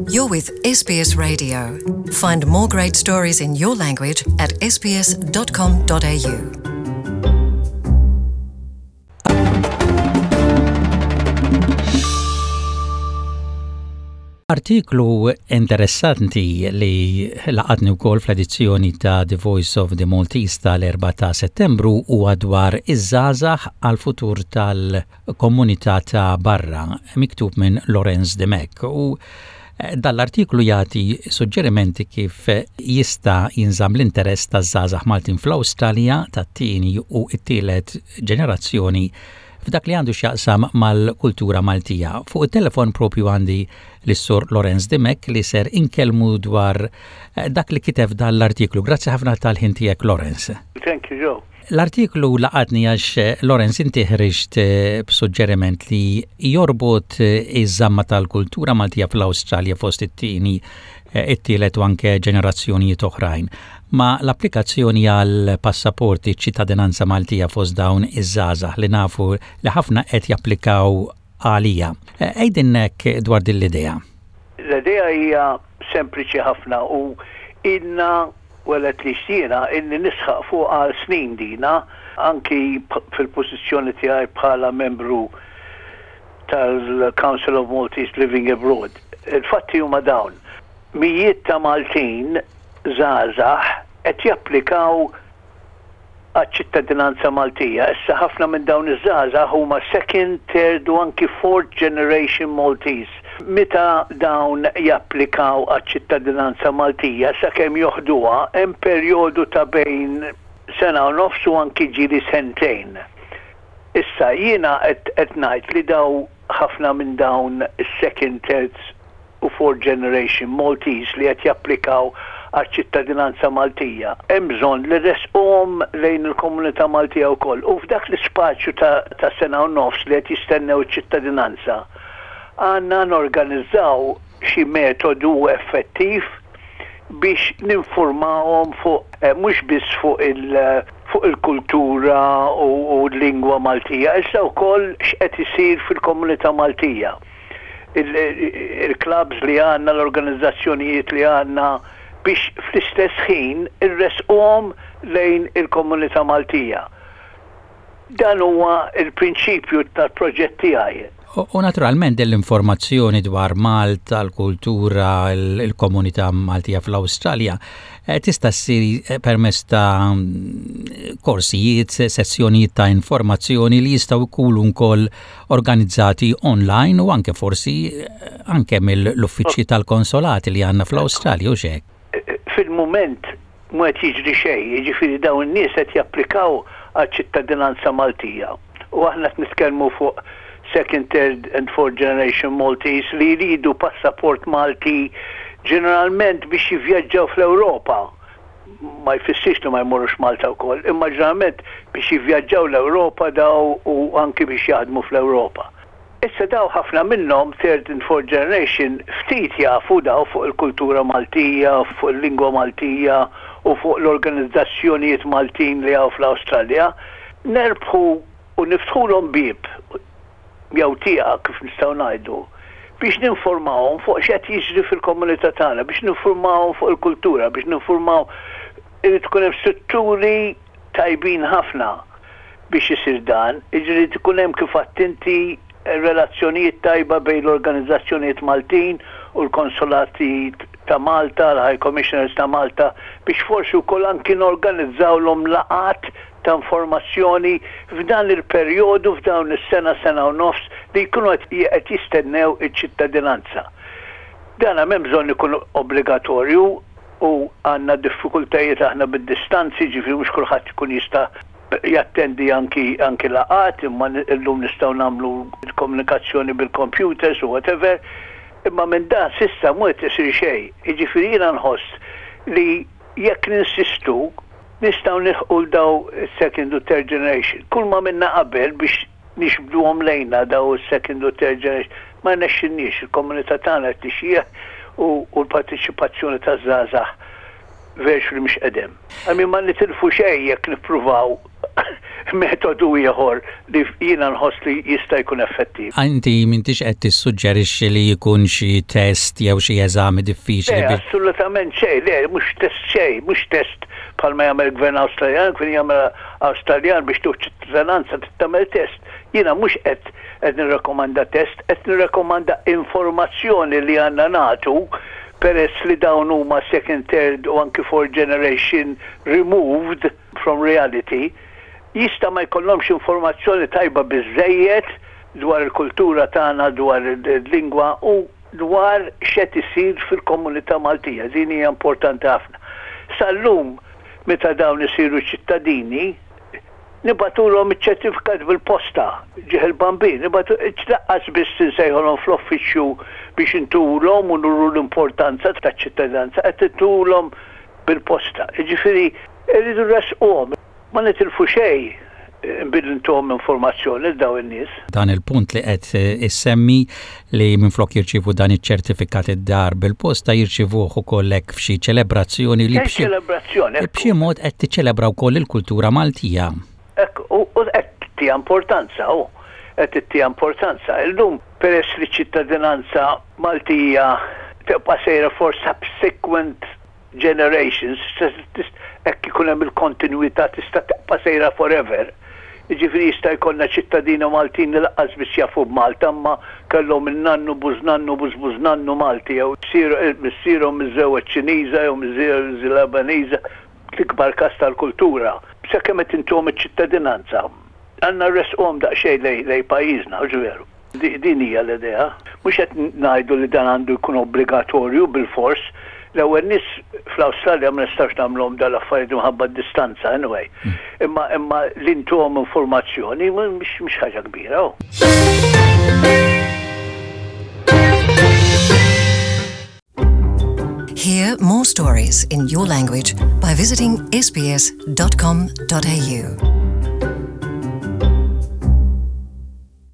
You're with SBS Radio. Find more great stories in your language at sbs.com.au. Artiklu interessanti li laqatni wkoll fl-edizzjoni ta' The Voice of the Maltese tal-4 ta' Settembru huwa dwar iż-żgħażagħ għall-futur tal-komunità ta' barra, miktub minn Lorenz Dimech. U eh, dan l-artiklu jagħti suġġerimenti kif jista' jinżamm l-interess taż-żgħażagħ Maltin fl-Awstralja tat-tieni u t-tielet ġenerazzjoni f'dak li għandu x'jaqsam mal-kultura Maltija. Fuq it-telefon propju għandi lis-Sur Lorenz Dimech li ser inkellmu dwar eh, dak li kiteb dan l-artiklu. Grazzi ħafna tal-ħin tiegħek Lorenz. Thank you, Joe. L-artiklu laqatni għax eh, Lorenz inti ħriġt eh, b'suġġeriment li jorbot iż-żamma tal-kultura Maltija fl-Awstralja fost it-tieni it-tielet u anke ġenerazzjonijiet oħrajn. Ma' l-applikazzjoni għal passaporti ċittadinanza Maltija fost dawn iż-żgħażagħ li nafu li ħafna qed japplikaw għaliha. Għidilna hekk dwar din l-idea. L-idea hija sempliċi ħafna u ilna, well at least jiena, ilni nisħaq fuqha għal snin dina, anki fil-pożizzjoni tiegħi bħala membru tal-Council of Maltese Living Abroad. Il-fatti huma dawn, mijiet ta' Maltin żgħażagħ qed japplikaw għaċ-ċittadinanza Maltija. Issa ħafna minn dawn iż-żgħażagħ huma second, third u anki fourth generation Maltese. Meta dawn japplikaw għaċ-ċittadinanza Maltija sakemm joħduha hemm perjodu ta' bejn sena u nofs u anki ġieli sentejn. Issa jiena qed qed ngħid li daw ħafna minn dawn is-second, third u fourth generation Maltese li qed japplikaw għaċ-ċittadinanza Maltija, hemm bżonn li ressquhom lejn il-komunità Maltija wkoll u f'dak l-ispazju ta' ta' sena u nofs li qed jistennew iċ-ċittadinanza għandna norganizzaw xi metodu effettiv biex ninfurmawhom fuq mhux biss fuq il fuq il-kultura u l-lingwa Maltija iżda wkoll x'qed isir fil-komunità Maltija. Il-clubs li għandna, l-organizzazzjonijiet li għandna biex fl-istess ħin irressquhom lejn il-komunità Maltija. Dan huwa l-prinċipju tal-proġett tiegħi. U naturalment din l-informazzjoni dwar Malta, l-kultura, il-komunità Maltija fl-Awstralja eh, tista' ssir eh, permezz ta' korsijiet, sessjonijiet ta' informazzjoni li jistgħu jkunu wkoll organizzati online u anke forsi eh, anke mill-uffiċċji tal-konsolati li għandna fl-Awstralja u xek. Fil-mument Mhu qed jiġri xejn, jiġifieri dawn in-nies qed japplikaw għaċ-ċittadinanza Maltija. U aħna qed nitkellmu fuq second, third and fourth generation Maltese li jridu passaport Malti ġeneralment biex jivvjaġġaw fl-Ewropa. Ma jfissirx li ma jmorrux Malta wkoll, imma ġeneralment biex jivvjaġġaw l-Ewropa daw u anki biex jaħdmu fl-Ewropa. Issa daw ħafna minnhom, third and fourth generation, ftit jafu daw fuq il-kultura Maltija, fuq il-lingwa Maltija u fuq l-organizzazzjonijiet Maltin li hawn fl-Awstralja. Nerbħu u niftħulhom bieb jew tieqa kif nistgħu ngħidu, biex ninfurmawhom fuq x'qed jiġri fil-komunità tagħna, biex ninfurmawhom fuq il-kultura, biex ninfurmaw irid ikun hemm strutturi tajbin ħafna biex isir dan, jiġifieri jrid ikun hemm kif għedt inti relazzjonijiet tajba bejn l-organizzazzjonijiet Maltin u l-konsolati ta' Malta, l-High Commissioners ta' Malta biex forsi wkoll anki norganizzawlhom laqgħat ta' informazzjoni f'dan il-perjodu, f'dawn is-sena, sena u nofs li jkunu qed jistennew iċ-ċittadinanza. Dan m'hemm bżonn ikun obbligatorju, U għandna diffikultajiet aħna bid-distanzi, ġifieri mhux kulħadd ikun jista' jattendi anki anki laqgħat, imma llum nistgħu nagħmlu l-komunikazzjoni bil-computers u whatever. Imma minn dan s'issa mhu qed isir xejn. Jiġifieri jiena nħoss li jekk ninsistu nistgħu nilħqu 'l dawn is-second u third generation. Kull m'għamilna qabel biex nixbduhom lejna daw is-second u third generation. Ma rnexxilniex, il-komunità tagħna qed tixjieħ u l-parteċipazzjoni taż-żgħażagħ virtually mhix qed hemm. I mean ma nitilfu xejn jekk nippruvaw. metodu ieħor li jiena nħoss li jista' jkun effettiv. Inti m'intix qed tissuġġerixxi li jkun xi test jew xi eżami diffiċli Le, assolutament xejn, le, mhux test xejn, mhux test bħalma jagħmel il-Gvern Awstraljan, il-Gvern jagħmel Awstraljan biex tieħu ċittadinanza trid tagħmel test. Jiena mhux qed qed nirrakkomanda test, qed nirrakkomanda informazzjoni li għandna nagħtu peress li dawn huma second, third u anki fourth generation removed from reality, jista' ma jkollhomx informazzjoni tajba biżżejjed dwar il-kultura tagħna, dwar il-lingwa u dwar x'qed isir fil-komunità Maltija. Din hija importanti ħafna. Sal-lum meta dawn isiru ċittadini, nibagħtulhom iċ-ċertifikat bil-posta, ġieħ il-Bambin, nibagħtu, lanqas biss insejħulhom fl-uffiċċju biex intulhom u nuru l-importanza taċ-ċittadinanza, qed intulhom bil-posta. Jiġifieri rridu nressquhom. Ma nitilfu xejn billi ntuhom informazzjoni lil dawn in-nies. Dan il-punt li qed issemmi li minflok jirċievu dan iċ-ċertifikat id-dar bil-posta jirċievuh ukoll hekk f'xi ċelebrazzjoni li b'xi ċelebrazzjoni b'xi mod qed tiċċelebra wkoll il-kultura Maltija. Hekk u qed ttiha importanza hu. Qed ittiha importanza. Illum peress li ċ-ċittadinanza Maltija tibqa' sejra for subsequent generations, hekk ikun hemm il-kontinwità tista' tibqa' sejra forever. Jiġifieri jista' jkollna ċittadini Maltin li lanqas biss jafu b'Malta imma kellhom in-nannu, bużnannu, bużbużnannu Malti jew missierhom miżżewweġ Ċiniża jew miżżewweġ Lebaniża, l-ikbar każ tal-kultura. Sakemm qed intuhom iċ-ċittadinanza, għandna nressquhom daqsxejn lejn pajjiżna, hux veru? Din hija l-idea. Mhux qed ngħidu li dan għandu jkun obbligatorju bilfors. L-ewwel nies fl-Awstralja ma nistgħux nagħmluhom dawn l-affarijiet minħabba d-distanza anyway. Imma imma li ntuhom informazzjoni mhix ħaġa kbira. Hear more stories in your language by visiting sbs.com.au.